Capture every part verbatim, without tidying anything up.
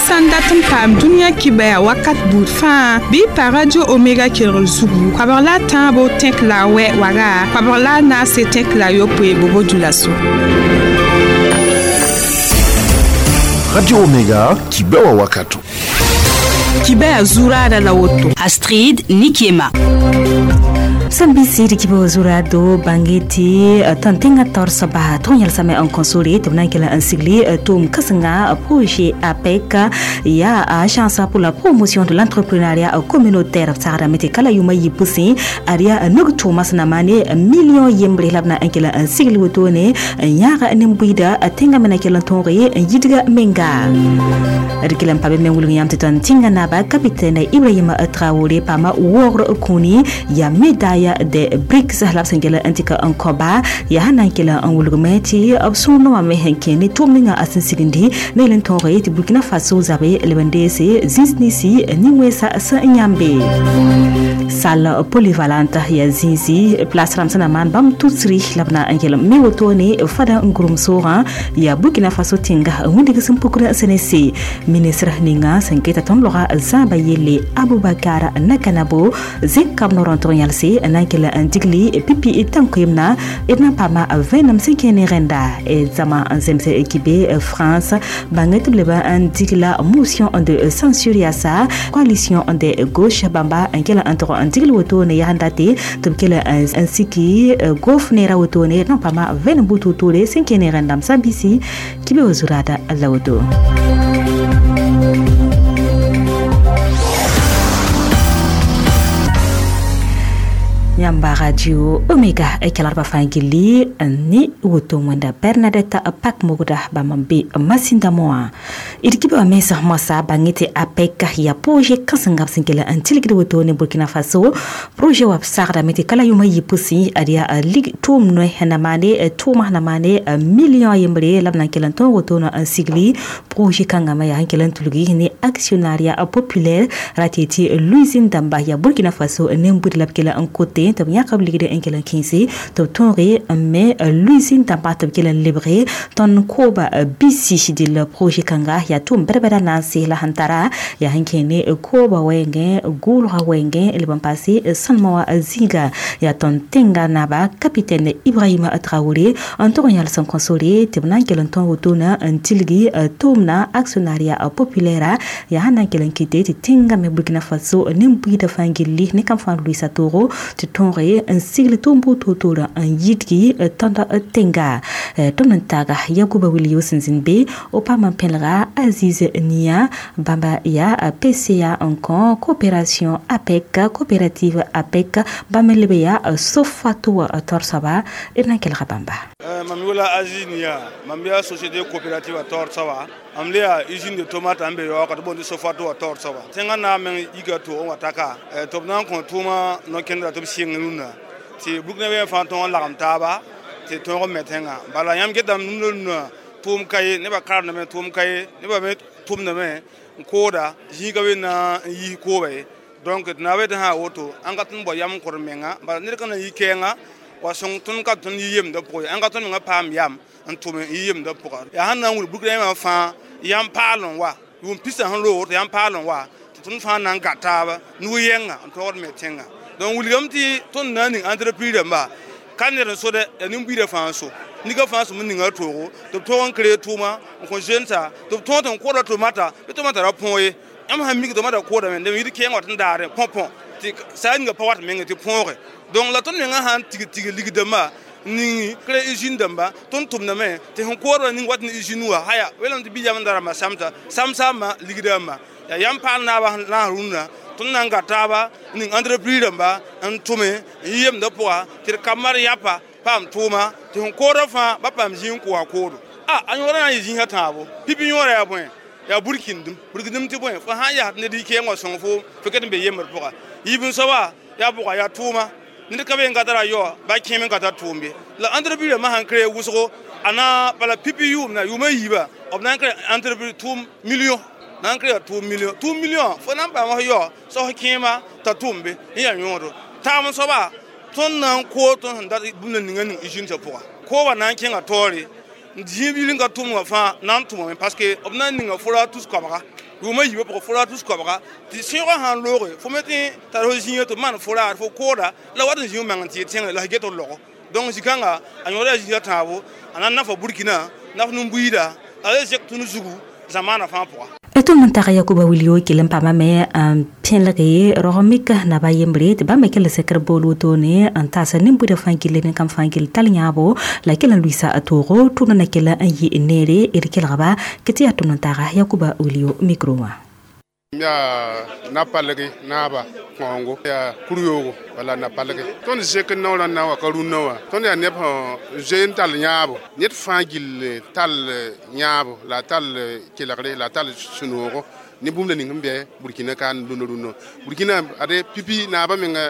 Sãn dat n paam dũniyã kibaya wakat buud fãa bɩ pa Radio Omega kelgr zugu koabg la a tãabo tẽk la a wɛ waga koabg la a naase tẽk la a yopoe bobo dulaso. Radio Omega kibewa wakato. Kibaya zurada la woto. Astrid Nikiema. Sambisi di kibo zurado bangeti tantenga torsa ba tonyal same en console to nan kala ansigli tum kasanga projet APEC ya agence pour la promotion de l'entrepreneuriat communautaire tsara mete kala yuma yipusi aria nugtu masna mane million yembre labna ankela ansigli wotone yaga nimbuida tenga mena kala tonre yidga menga rikilam pabe mengul yam teton tinga na ba capitaine Ibrahim Traoré pama wor kuni ya médaille de BRICS la sengela antika ankoba ya hanan kela anwulgumeti absuno ma mehenkeni tuminga asinsigindi nelen tonre ti Burkina Faso zabe lebendese zinsnisi ningwesa sa nyambe salle polyvalente ya zinzi place ramsana man bam tutsri labna angela mewotone fada ngurum sora ya Burkina Faso tinga windi gisum pukura senese ministre ninga senketa tomlora zamba yele Abubakar Nakanabo zinkam noronton yalse nankela andigli pipi tankwimna edna pama venam senkene renda e zama nzemse ekibe France banget bleba andigla motion de censure ya sa coalition de gauche bamba ankela antro andigli wotone ya handate tubkela ansiki gofnera wotone na pama venam bututule senkene renda msambisi kibe ozurada lawoto. Yamba Radio Omega e kalarba fangili ni woto mwenda Bernadette Pak Mogoda bamambe masinda moa irkibe wa mesa masa bangete APEC ya projet kasanga sinkela antilgidi woto ne Burkina Faso projet wa sarda mete kala yuma yipusi adia lig tum no hanamane tuma hanamane million yembre labna kelan ton woto no ansigli projet kangama ya hankelan tulgi ni actionnariat populaire ratiti Louisine Damba ya Burkina Faso nembudi labkela an côté tab yakab ligde enkela kinsi to tonre mais l'usine tamba tab kela libre ton koba bisi dil projet kanga ya tum berbera nansi la hantara ya hankene koba wenge gulra wenge le pampasi sanmawa zinga ya ton tenga naba capitaine Ibrahim Traoré en tournal son consolé tebnan kela ton wotona antilgi tumna actionnariat populaire ya hanan kela kite tenga me Burkina Faso nimbuida fangili ne kam fan Luisa Toro tonre un sigle tombo totora un yidgi tanda tenga tomntaga Yakuba Wilio Sinzinbe opama pelra Aziz Nia Bamba ya P C A encore coopération APEC coopérative APEC Bamelebe ya Sofato Torsaba irna Bamba Mamiola Aziz Nia Mambia société coopérative Torsaba amlea usine de tomate ambe yo ka bon de Sofato Torsaba tenga na men igato on wataka tobnan kon tuma no kendra to sing nuna ti Burkina be fa ton lagam taba ti ton metenga bala yam gedam nuna tum kay ne ba kar na me tum kay ne ba me tum na me koda jiga we na yi ko be donc na be ha woto an ka tun bo yam kor menga bala ne kana yi kenga wa song tun ka tun yem da po an ka tun nga pam yam an tum yem da po ya han na wul Burkina ma fa yam palon wa yum pisa han lo yam palon wa tun fa nan gata ba nu yenga an to me tenga donc wilgam ti ton nani entreprise ba kan ne so de ni buire fa so ni ga fa so mun ninga togo to to on kre tuma ko jenta to to ton ko do tomata be tomata ra ponye am ha mi tomata ko da men de mi ke ngot ndare pon pon ti sa nga pa wat men ti ponre donc la ton nga han tigi tigi ligde ma ni kre usine damba ton tum na me te hon ko do ni wat ni usine wa haya welam ti bijam ndara ma samta samsa ma ligde ma ya yam pa na ba na runa ton nan gata ni entreprise ba an tume yem da poa ti kamar yapa pam tuma ti hon ko do fa ba pam jin ko ko do a an yora na jin ha tabo pipi yora ya bon ya burkindum burkindum ti bon fa ha ya ne di ke ngo son fo feket be yemar poa yibin so ba ya buka ya tuma ni ka be ngatara yo ba kemi ngata tumbe la entreprise ma han kre wuso ana bala pipi yum na yuma yiba obnan kre entreprise tum million nan kre two million two million fo nan ba ma yo so kema ta tumbe ya yoro tam so ba ton nan ko ton da bunna ninga ning ijin ta poa ko ba nan kenga tori jibi linga tumwa fa nan tumwa parce que obnan ninga fura tous ko ba Rʋʋmã yiibã pʋgẽ forage tus koabga tɩ sẽoogã sã n looge fo me tɩ tar fo zĩigã tɩ b maan forage fo kooda la wat n zĩ f meng n tɩ tẽngre la f get d logo. Donc zĩ-kãnga a yõoda zĩisã tãabo a na n nafa Burkina naf nin-buiida la le zek tũnu zugu zamaanã fãa pʋga. Tʋm n tag Yakuba Wilio kell n paamame n pẽlge rog-mik naba yembre tɩ bãmb me kell sekr bool wotone n taasa nin-buidã fãa gilli nin-kãmb fãa gill tall yãabo la kell n luiisa a toogo tʋʋmdã na kell n yɩ neere d kelgba kɩ tɩ yaa tʋm n taaga Yakuba Wilio micro wã. Yaa na-palgi naaba kõongo yaa kur-yoogo wala na-palgi tõnd zẽk naoorã na wa ka rũnnã wã tõnd yaa neb sẽn zoe n tall yãabo ned fãa gill tall yãabo la a tall kelgre la a tall sũ-noogo ne bũmb la ning sẽn bɩ Burkina ka n rũnnã rũnnã Burkina ade pipi naabã menga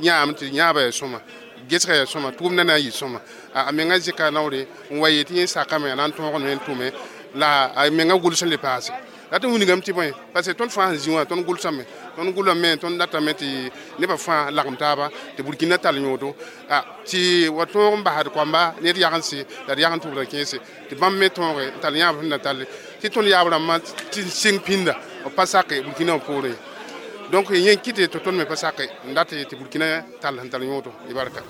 yãam tɩ yãabã yaa sõma gesga yaa sõma tʋʋmdã na n yɩ sõma a menga zẽka naoore n wa yetɩ yẽ sakame a na n tõogame n tʋme la a menga gʋls n le paase la tɩ wilgame tɩ bõe parce que tõnd fãa sẽn zĩ wã tõnd gʋlsame tõnd gʋlame tõnd datame tɩ nebã fãa lagem taaba tɩ Burkina tall yõodo tɩ wa tõog n basd koamba ned yagense la d yagn tʋbra kẽese tɩ bãmb me tõoge n tall yãab sẽn na talle tɩ tõnd yaab rãmbã tɩ sɩng pĩnda b pa sake Burkina wã poorẽ. Donc yẽ kɩte tɩ tõnd me pa sake n dat tɩ Burkina tall sẽn tall yõodo y barka.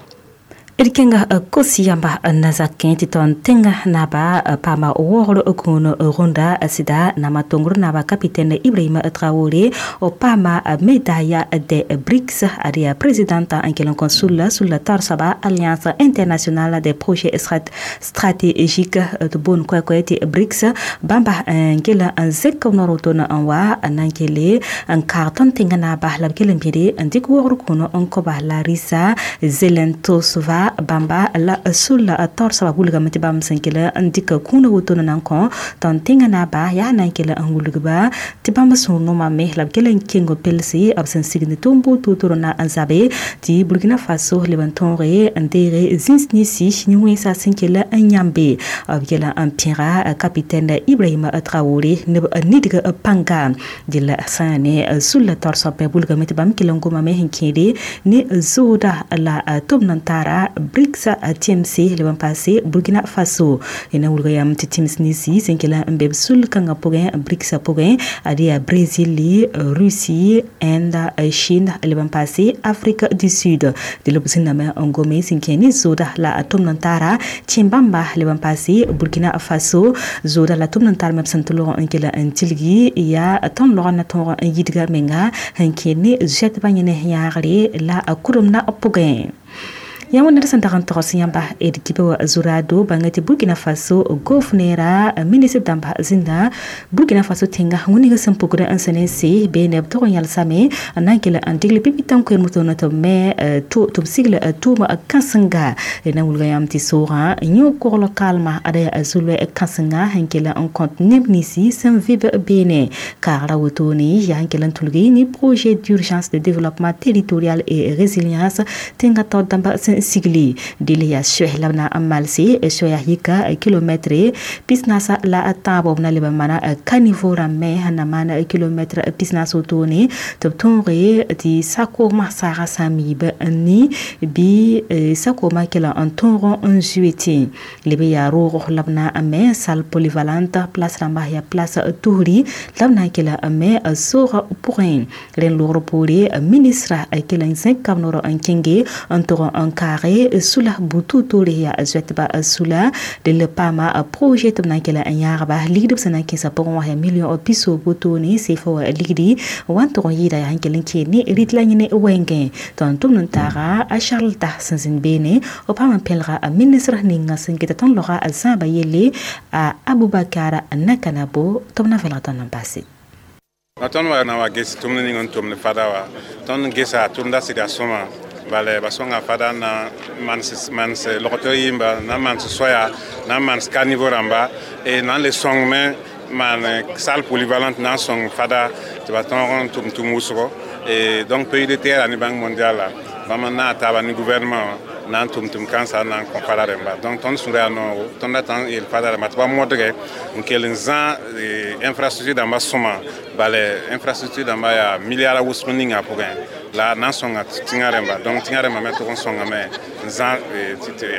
D kẽnga kos yãmba na zakẽ tɩ tõnd tẽngã naaba paama waoogr kũun rũndã sɩda nama tongr naaba capitaine Ibrahima Traoré b paama médaille de BRICS ad yaa présidente n kell n kõ sulla sulla taoor soaba Alliance internationale des projets stratégiques tɩ boond koɛ-koɛ tɩ BRICS bãmba n kell n zẽk b noor wotone n wa n na n kele n kaag tõnd tẽngã naaba la b kell n bĩde n dɩk waoogr kũun n kõba Larissa Zelentosova bãmba la sulla taoor soaba wilgame tɩ bãmb sẽn kell n dɩk kũunã wotone na n kõ tõnd tẽngã naaba yaa na n kell n wilgba tɩ bãmb sũur nomame la b kell n keng pelse b sẽn sigd tʋʋm buud na n zabe tɩ Burkina Faso leb n tõoge n deege zĩns ninsi nin-wẽnsã sẽn kell n yãmbe b kell n pẽga capitaine Ibrahima Traoré neb nidg pãnga dɩl sã ne sulla taoor soab wilgame tɩ bãmb kell n gomame sẽn kẽede ne zooda la tʋm n tara BRICS T M C leb n paase Burkina Faso na wilga yam tɩ tĩms ninsi sẽn kell n be b sul kãngã pʋgẽ BRICS pʋgẽ ad yaa Brésil, Russie, Inde, Chine leb n paase Afrique du Sud dɩl b zĩnname n gome sẽn kẽ ne zooda la tʋm n tara tẽ bãmba leb n paase Burkina Faso zooda la tʋm n tar me b sẽn tɩ log n kell n tilgi yaa tõnd logr na tõog n yidga menga sẽn kẽ ne zoɛtbã yẽne yãagre la kʋremdã pʋgẽ. Yã wẽnd sẽn dag n togs yãmba d kiba wa zurado bãnga tɩ Burkina Faso gofnera ministre dãmba zĩnda Burkina Faso tẽnga wẽneg sẽn pukd n sẽn n se bee neb tog n yalsame n na n kell n digl pipi tãn koeem wotone tɩ b me tɩ b sigl tʋʋm kãsenga na wilga yãmb tɩ soogã yõ kogl kalma ada yaa zulwɛ kãsenga sẽn kell n kõt neb ninsi sẽn vɩb beene kaagra wotone yaa n kell n tulgi ne projet d'urgence de développement territorial et résilience tẽngã taoor dãmba sẽn sigli dɩl yaa soɛs la b na n malse soɛya yika kilomɛtre pis-naasa la tãabo b na leb n mana caniveau rãmbẽ sẽn na maan kilomɛtre pis-naas wotone tɩ b tõoge tɩ sakoogmã saaga sã n miib n ni bɩ sakoogmã kell n tõog n zoe tẽ leb yaa roog la b na n me salle polyvalente place rãmba yaa place tusri la b na n kell n me soogã pʋgẽ rẽnd loogr poore ministra kell n zẽk kab noor n kẽnge n tog n kaage sula butu-toore yaa zoɛtba sula dɩl paama projet tɩ b na n kell n yãagba ligd b sẽn na n kẽesã pʋgẽ wã yaa million pisoog wotone sefa wa ligdi wa n tog n yɩɩda yaa sẽn kell n kee ne rɩt la yẽne wɛngẽ tɩ n tʋmd n taaga a Charles Ta sẽn zĩnd beene b paam n pẽlga ministre ninga sẽn geta tõnd loga a zãaba yelle a Abubakar Nakanabo tɩ b na vẽlg tõnd n paase. Tõnd wa na wa ges tʋmd ning n tʋmd fada wa tõnd gesa tʋmda sɩda sõma bala ba sõnga fada na mans mans logto yimba na mans soya na mans caniveau rãmba e na n le sõng me maan salle polyvalente na n sõng fada tɩ ba tõog n tʋm tʋm wʋsgo. Et donc P I D T R ni Banque mondiale la bãmb n naag taaba ni gouvernement na n tʋm tʋm kãnsã n na n kõ fada rẽmba. Donc tõnd sũurã yaa noogo, tõnd dat n yeel fada rẽmba tɩ ba modge n kell n zã infrastructure dãmba sõma. Bala infrastructure dãmba yaa milliard wʋsg ninga pʋgẽ la na n sõnga tẽngã rẽmba. Donc tẽngã rẽmba me tʋg n sõngame n zã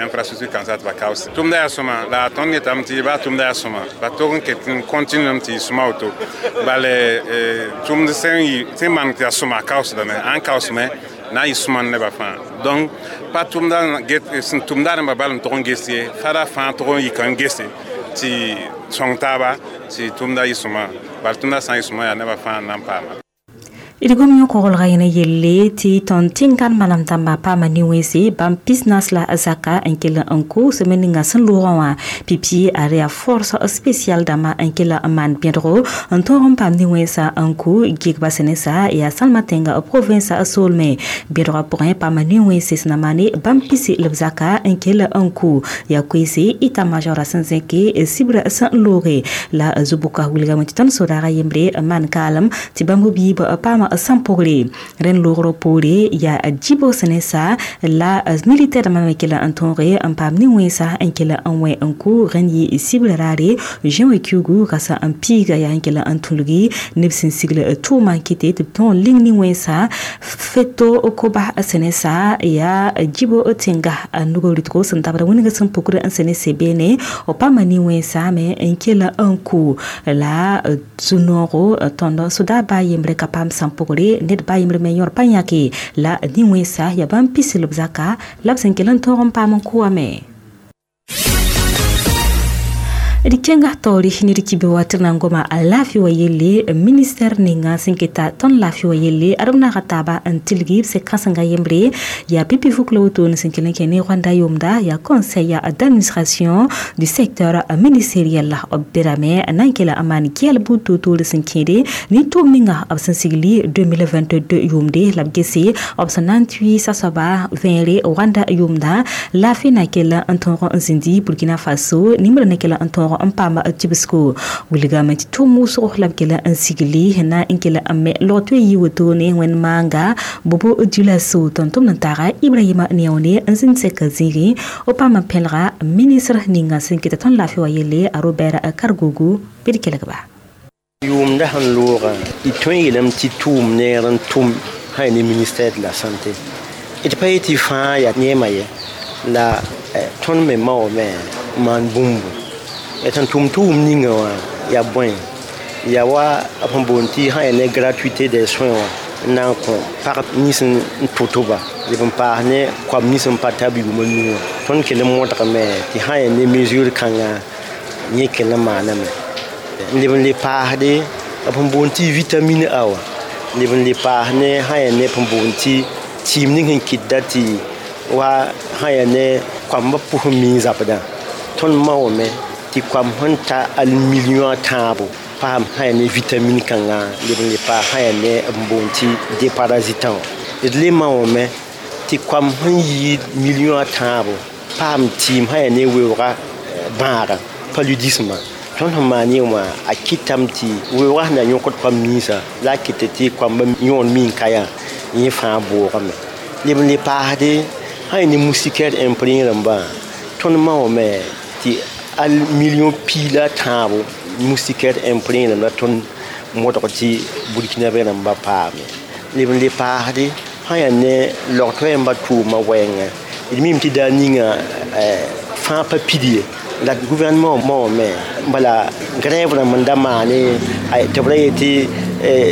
infrastructure kãnsã tɩ ba kaoose. Tʋmda yaa sõma la tõnd yetame tɩ baa tʋmda yaa sõma, ba tog n ket n continuem tɩ yɩ sõma woto. Bala tʋmd sẽn yɩ sẽn maan tɩ yaa sõma, a kaoosdame, ãn kaoosme na n yɩ sõma nebã fãa. Donc pa tʋmda sẽn tʋmda rẽmba bal n tog n ges ye, fada fãa tog n yika n gese tɩ sõng taaba tɩ tʋmda yɩ sõma. Bala tʋmda sã n yɩ sõma, yaa nebã fãa n na n paama. D gom yõ-koglga yẽna yelle tɩ tõnd tẽn-gãn malam dãmbã paama nin-wẽnse bãmb pisnas la zaka n kell n koos me ninga sẽn loogã wã pipi a yaa force spéciale dãmbã n kell n maan bẽdgo n tõog n paam nin-wẽnsã n kʋ gɩgba sẽn ne sa yaa sãlma tẽnga province soolmẽ. Bẽdgã pʋgẽ paama nin-wẽnse sẽn na maane bãmb pisi b zaka n kell n kʋ yaa koeese état major sẽn zẽke sibra sẽn looge la zu-bʋka wilgame tɩ tõnd sodaagã yembre n maan kaalem tɩ bãmb biib paama sãn pʋgre rẽnd loogr poore yaa djibo sẽn ne sa la militaire dãmbã me kell n tõoge n paam nin-wẽnsa n kell n wẽ n kʋ rẽnd yɩ sibra raare juin kiugu rasa n piiga yaa n kell n tũlgi neb sẽn sigl tʋʋmã n kɩte tɩ b tõog ling nin-wẽnsa feto koba sẽn ne sa yaa djibo tẽnga nugr rɩtgo sẽn dabda wĩneg sẽn pukr n sẽn ne se beene b paama nin-wẽnsa me n kell n kʋ la zu-noogo tõnd soda baa yembre ka paam sãn pʋgre ned baa yembre me yõr pa yãke la nin-wẽnsa yaa bãmb pis b zaka la b sẽn kell n tõog n paam n kʋame. D kẽnga taoore ne d kibe wa tɩ d na n goma a laafɩ wa yelle. Ministère ninga sẽn keta tõnd laafɩ wa yelle ad b naaga taaba n tilgi b sẽn kãsenga yembre yaa pipi fuk la wotone sẽn kell n kẽ ne Rwanda yʋʋmda yaa conseil d'administration du secteur ministériel la b berame n na n kela n maan gɛl buud toor-toore sẽn kẽede ne tʋʋm ninga b sẽn sigli deux mille vingt-deux yʋʋmde la b gese b sẽn na n tʋɩ sasoaba vẽere Rwanda yʋʋmda laafɩ na kell n tõog n zĩndi Burkina Faso nimbrã na kell n tõog n paam tibsgo wilgame tɩ tʋʋm wʋsgo la b kell n sigli na n kell n me log tɩ yi wotone wẽnd maanga Bobo Dioulasso. Tõnd tʋmd n taaga Ibrahima Neone n zĩnd sɛka zĩigẽ o paam n pẽlga ministre ninga sẽn kɩta tõnd laafɩ wa yelle a Robert Kargogo bɩ d kelgba. Yʋʋmda sẽn loogã, d tõe n yeelame tɩ tʋʋm neer n tʋm sã ne ministère de la Santé. D pa yetɩ fãa yaa neemã ye la tõnd me maoome n maan bũmbu sẽn tʋm tʋʋm ninga wã yaa bõe yaa wa b sẽn boond tɩ sã yaa ne gratuité des soins wã n na n kõ pag nins n tʋ-tʋba leb n paas ne koam nins n pa tab yʋʋma nu wã. Tõnd kell n modgame tɩ sã yaa ne mesure kãnga yẽ kell n maaname n leb n le paasde b sẽn boond tɩ vitamine A wã leb n le paas ne sã yaa ne b sẽn boond tɩ tɩɩm ning sẽn kɩtda tɩ wa sã yaa ne koambã pʋs n miẽ zabdã. Tõnd maoome tɩ koam sẽn ta al million a tãabo paam sã yaa ne vitamine kãngã leb n le paas sã yaa ne b boond tɩ déparasitant wã. D le maoome tɩ koam sẽn yɩɩd million a tãabo paam tɩɩm sã yaa ne weoogã bãaga paludisme. Tõnd sẽn maan yẽ wã a kɩtame tɩ weoogã sẽn na yõkd koam ninsã la a kɩt tɩ koambã yõod min ka yaa yẽ fãa boogame leb n le paasde sã yaa ne moustiquaire imprégné rãmbã. Tõnd maoome tɩ al million pii la tãabo moustiquaire imprégné rãmb la tõnd modg tɩ burkinabé rãmbã paame leb n le paasde sã yaa ne logtɔ yãmba tʋʋmã wɛɛngã. D mime tɩ daar ninga fãa pa pid ye la gouvernement maoome bala grève rãmb n da maane tɩ b ra yetɩ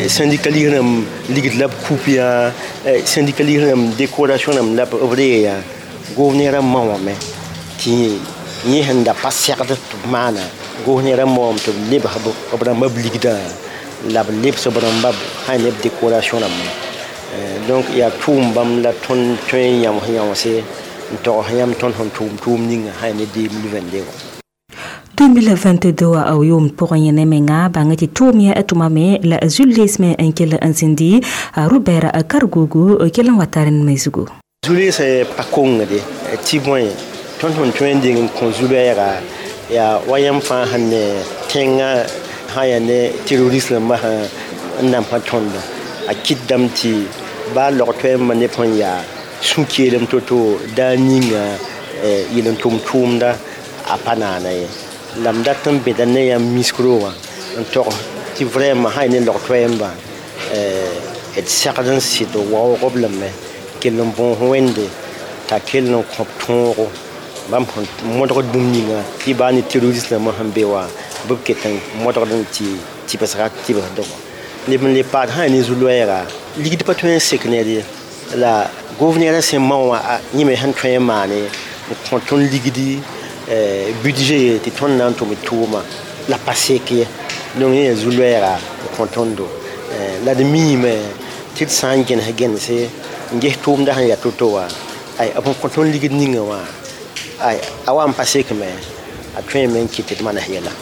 syndicaliste rãmb ligd la b coupe yã, syndicaliste rãmb décoration rãmb la b ree yã. Gouverneur maoame tɩ yẽ sẽn da pa segd tɩ b maana gouverneur maoame tɩ b lebs b rãmba b ligdã la b lebs b rãmba sã ne b décoration rãmba. Donc yaa tʋʋm bãmb la tõnd tõe n yãms yãmse n togs yãmb tõnd sẽn tʋʋm tʋʋm ninga sã ne deux mille vingt-deux wã. deux mille vingt-deux a yʋʋmd pʋgẽ yẽne menga bãng tɩ tʋʋm yã tʋmame la zu-leesme n kell n zĩndi Robert Kargogo kell n wa tar n me zugu. Zu-leesã pa kongde tɩ bõe tõnd sẽn tõe n deng n kõ zu-bɛɛga yaa wa yãmb fãa sẽn ne tẽngã sã yaa ne terroriste rãmbã sẽn n namsã tõndã a kɩtdame tɩ baa log toɛɛmbã neb sẽn yaa sũ-keelem to-to daa ninga yel n tʋm tʋʋmda a pa naana ye la m dat n beda ne yãmb miskro wã n tog tɩ vraiment sã ne log toɛɛmbã d segd n sɩd waoog b lame kell n bõos wẽnde t'a kell n kõp tõogo bãmb sẽn modgd bũmb ninga tɩ baa ne terroriste rãmbã sẽn be wã bɩ b ket n modgd n tɩ tɩbsga tɩbsdg neb n le paad sã ne zu-loɛɛga ligd pa tõe n sek ned ye la gouverneur sẽn mao wã yẽ me sẽn tõe n maane n kõ tõnd ligdi budget tɩ tõnd na n tʋm d tʋʋma la pa sek ye donc yẽ yaa zu-loɛɛga n kõ tõndo la d miime tɩ d sã n gẽnes gẽnese n ges tʋʋmda sẽn yaa to-to wã ay b sẽn kõ tõnd ligd ninga wã ay a wa n pa sekme a tõeme n kɩt tɩ d manes yɛla.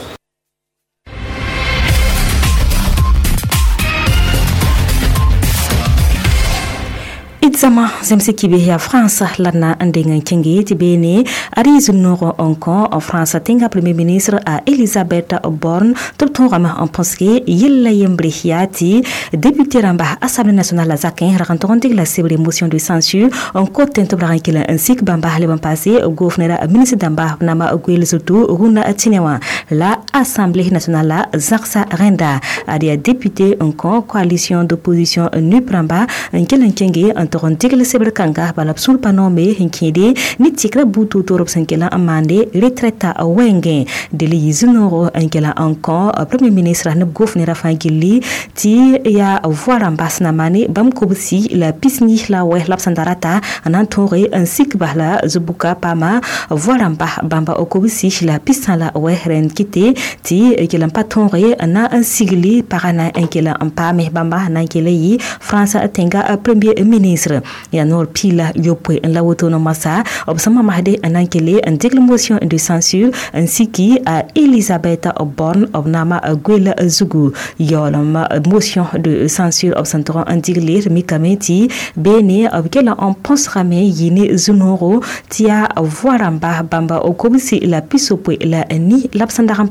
Zama zemse kibe ya France lana ndenga kenge ti bene ari zunoro onko en France tenga premier ministre a Elisabeth Borne top ton rama en penske yella yembre hiati député ramba Assemblée nationale la zakin rakanton la sebre motion de censure en côté to bra kila ainsi bamba le ban passé gouverneur ministre damba nama gwel surtout runa tinewa la Assemblée nationale la zaksa renda ari député onko coalition d'opposition nupramba nkela kenge en tigl sebr kanga bala sul panome hinkede ni tikra butu torop sankela amande retraite wenge de li zinoro nkela encore premier ministre ne gouverneur fangili ti ya voir ambasna mane bam kobsi la pisni la we la sandarata anan tore ainsi bala zubuka pama voir amba bamba okobsi la pisna la we ren kite ti kela patore na sigli parana nkela ampame bamba nankele yi France tenga premier ministre ya nor pila yopwe la woto no masa obsama mahde anankele en motion de censure ainsi qui a Elisabeth Borne obnama gwel zugu yolom motion de censure obsantron en digle mikameti bene obkela on pensera me yine zunoro tia voiramba bamba okobisi la pisopwe la ni lapsandaram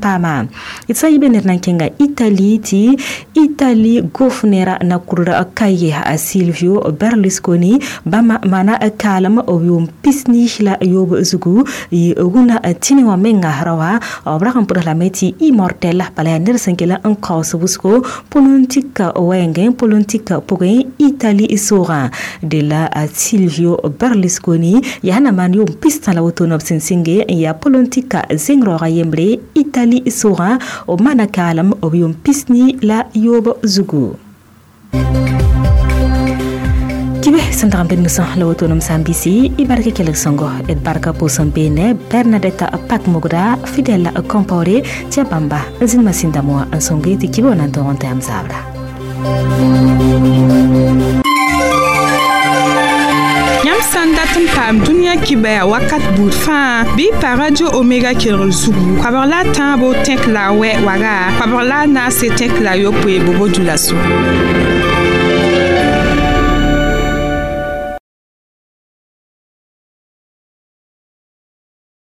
itsa ibene nankenga Italie ti Italie gofnera na kurra kaye a Silvio Berlusconi bama mana kalam oyum pisni la yob zugu yi runa tinewa menga rawa abraham pour la meti immortel pala nersenkela en kaos busko politique wenge politique pour Italie isora de la Silvio Berlusconi yana man yum pista la wotono sinsinge ya politique zingrora yembre Italie isora o mana kalam oyum pisni la yob zugu kibe sandram ben musa la wotonom sambisi ibarke kelek songo et barka posom bene Bernadette Pak Mogda Fidel Compaoré tia bamba zin masinda mo ansonge ti kibe onan toronte am zabra. Yãmb sã n dat n paam dũniyã kibɛa wakat buud fãa bɩ pa radio Omega kelgr zugu koabg la a tãabo tẽk la a wɛ waga koabg la a naase tẽk la a yopoe bobo dula so.